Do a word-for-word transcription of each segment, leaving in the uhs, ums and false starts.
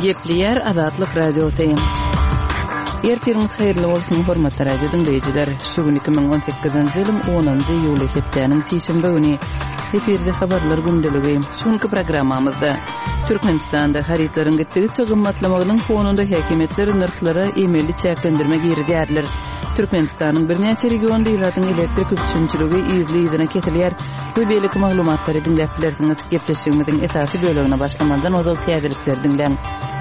Gepleýär Azatlyk Radiosy. Ertiriňiz haýyrly bolsun, hormatly radio diňleýjiler. Şu gün iki müň on sekizinji ýylyň onunjy iýuly hepdäniň sişenbe güni. Efirde habarlar gündeligi. Şu günki programmamyzda Türkmenistanda harytlaryň gitdigiçe gymmatlamagynyň fonunda häkimiýetler nyrhlara emeli çäklendirme girizýärler. Türkmenistanyň birnäçe regionynda ilatyň elektrik üpjünçiligi yzly-yzyna kesilýär we beýleki maglumatlary diňläp bilersiňiz. Gepleşigimiziň esasy bölegine başlamazdan ozal täzelikleri diňläň.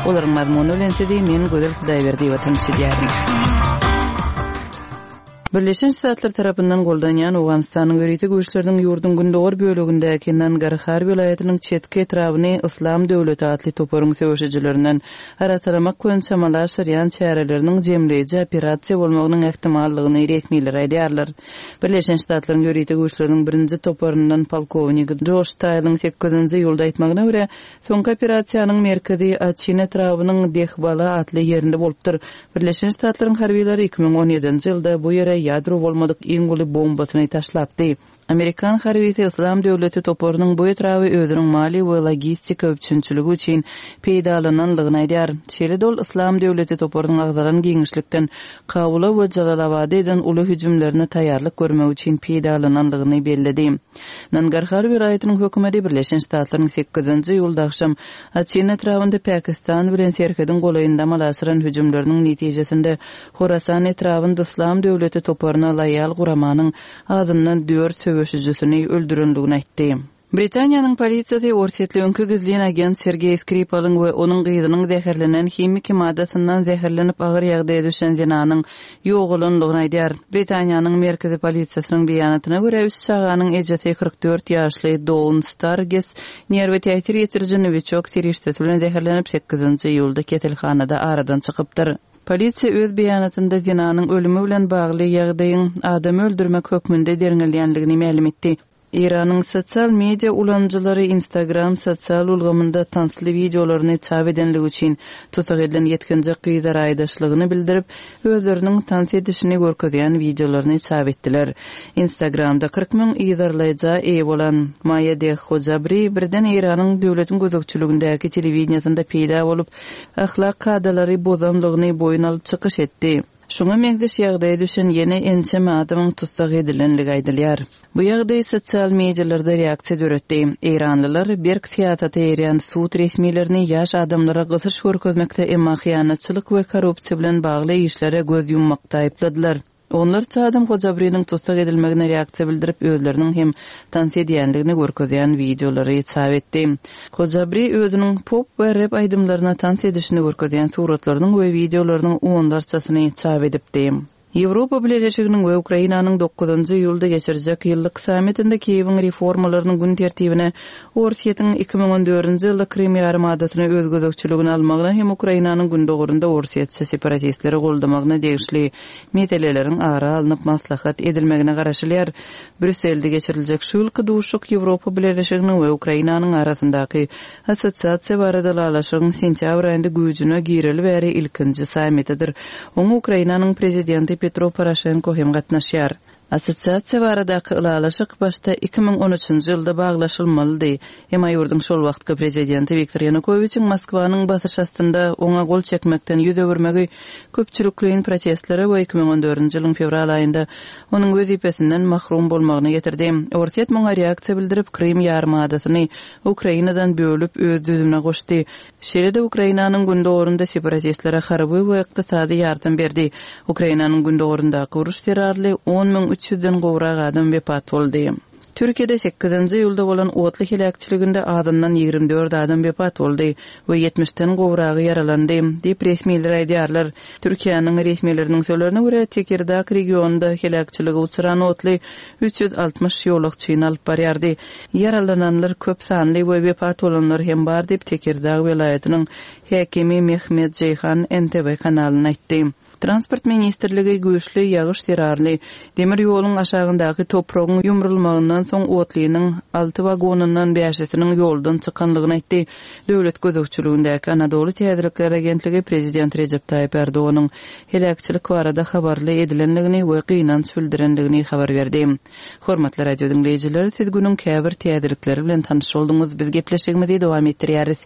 Olaryň mazmuny bilen sizi men Gözel Hudaýberdiýewa tanyş edýärin. Birleşen Ştatlar tarapyndan goldanýan Owganystanyň ýörite güýçleriniň ýurduň gündogar bölegindäki Nangarhar welaýatynyň çetki etrabyny Yslam döwleti atly toparyň söweşijilerinden arassalamak boýunça amala aşyrýan çäreleriniň jemleýji operasiýa bolmagynyň ähtimallygyny resmiler aýdýarlar. Birleşen Ştatlaryň ýörite güýçleriniň birinji toparyndan polkownik Joş Taýlyň sekizinji iýulda aýtmagyna görä, soňky operasiýanyň merkezi Açin etrabynyň Dehbala atly ýerinde bolupdyr. Birleşen Ştatlaryň harbylary iki müň on ýedinji ýylda bu ýere ýadro bolmadyk iň uly bombasyny taşlapdy. Amerikan harbysy Yslam döwleti toparynyň bu etraby özüniň maliýe we logistika üpjünçiligi üçin peýdalananlygyny aýdýar. Şeýle-de ol Yslam döwleti toparynyň agzalan giňişlikden Kabula we Jalalabada eden uly hüjümlerine taýýarlyk görmek üçin peýdalananlygyny belledi. Nangarhar welaýatynyň hökümeti Birleşen Ştatlaryň sekizinji iýulda agşam Açin etrabynda Pakistan bilen serhediň golaýynda amala aşyran hüjümleriniň netijesinde Horasan etrabynda Yslam döwleti toparyna loýal guramanyň azyndan dört söweşijisini öldürenligini aýtdy. Britaniýanyň polisiýasy orsýetli öňki gizlin agent Sergeý Skripalyň we onuň gyzynyň zäherlenen himiki maddasyndan zäherlenip agyr ýagdaýa düşen zenanyň ýogalanlygyny aýdýar. Britaniýanyň merkezi polisiýasynyň beýanatyna görä üç çaganyň ejesi kyrk dört ýaşly Dawn Starges nerwi täsir ýetiriji nowiçok serişdesi bilen zäherlenip sekizinji iýulda keselhanada aradan çykypdyr. Polisiýa öz beýanatynda zenanyň ölümi bilen bagly ýagdaýyň adamy öldürmek hökmünde derňelýänligini mälim etdi. Eýranyň sosial media ulanyjylary Instagram sosial ulgamynda tansly wideolaryny çap edenligi üçin tussag edilen ýetginjek gyza raýdaşlygyny bildirip, özleriniň tans edişini görkezýän wideolaryny çap etdiler. Instagramda kyrk müň yzarlaýja eýe bolan Maýa Deh Hojabri birden Eýranyň döwletiň gözegçiligindäki telewideniýasynda peýda bolup, ahlak kadalary bozanlygyny boýun alyp çykyş etdi. Şuňa meňzeş ýagdaýa düşen ýene ençeme adamyň tussag edilenligi aýdylýar. Bu ýagdaý sosial medialarda reaksiýa döretdi. Eýranlylar berk syýasata eýerýän sud resmilerini ýaş adamlara gysyş görkezmekde emma hyýanatçylyk we korrupsiýa bilen bagly işlere göz ýummakda aýypladylar. Onlarça adam Hojabriniň tussag edilmegine reaksiýa bildirip, özleriniň hem tans edýänligini görkezýän wideolary çap etdi. Hojabri özüniň pop we rap aýdymlaryna tans edişini görkezýän suratlarynyň we wideolarynyň onlarçasyny çap edipdi. Ýewropa Bileleşiginiň we Ukrainanyň dokuzynjy iýulda geçirjek ýyllyk sammitinde Kiýewiň reformalarynyň gün tertibine Orsýetiň iki müň on dördünji ýylda Krym ýarymadasyny öz gözegçiligine almagyna hem Ukrainanyň gündogarynda orsýetçi separatistleri goldamagyna degişli meseleleriň ara alnyp maslahat edilmegine garaşylýar. Brüsselde geçiriljek şu ýylky duşuşyk Ýewropa Bileleşiginiň we Ukrainanyň arasyndaky assosiasiýa barada ylalaşygyň sentýabr aýynda güýjüne gireli bäri ilkinji sammitidir. Oňa Ukrainanyň prezidenti Petro Poroşenko hem gatnaşýar. Assosiasiýa baradaky ylalaşyk başda iki müň on üçünji ýylda baglaşylmalydy. Emma ýurduň şol wagtky prezidenti Wiktor Ýanukowiçiň Moskwanyň basyş astynda oňa gol çekmekden ýüz öwürmegi köpçülikleýin protestlere we iki müň on dördünji ýylyň fewral aýynda onuň wezipesinden mahrum bolmagyna getirdi. Orsýet muňa reaksiýa bildirip, Krym ýarymadasyny Ukrainadan bölüp öz düzümine goşdy. Şeýle-de Ukrainanyň gündogarynda separatistlere harby we ykdysady ýardam berdi. Ukrainanyň gündogaryndaky uruş zerarly on müň üç ýüzden gowrak adam wepat boldy. Türkiýede sekizinji iýulda bolan otly heläkçiliginde azyndan ýigrimi dört adam wepat boldy we ýetmişden gowragy ýaralandy, diýip resmiler aýdýarlar. Türkiýäniň resmileriniň sözlerine görä Tekirdag regionynda heläkçilige uçran otly üç ýüz altmyş ýolagçyny alyp barýardy. Ýaralananlar köp sanly we wepat bolanlar hem bar diýip Tekirdag welaýatynyň häkimi Mehmet Jeýhan N T V kanalyna aýtdy. Transport ministrligi güýçli ýagyş zerarly demir ýoluň aşagyndaky topragyň ýumrulmagyndan soň otlynyň alty wagonyndan bäşisiniň ýoldan çykanlygyny aýtdy. Döwlet gözegçiligindäki Anadolu Täzelikler agentligi prezident Recep Tayyip Erdoganyň heläkçilik barada habarly edilenligini we gynanç bildirenligini habar berdi. Hormatly radio diňleýjiler, siz günüň käbir täzelikleri bilen tanyş bolduňyz. Biz gepleşigimizi dowam etdirýäris.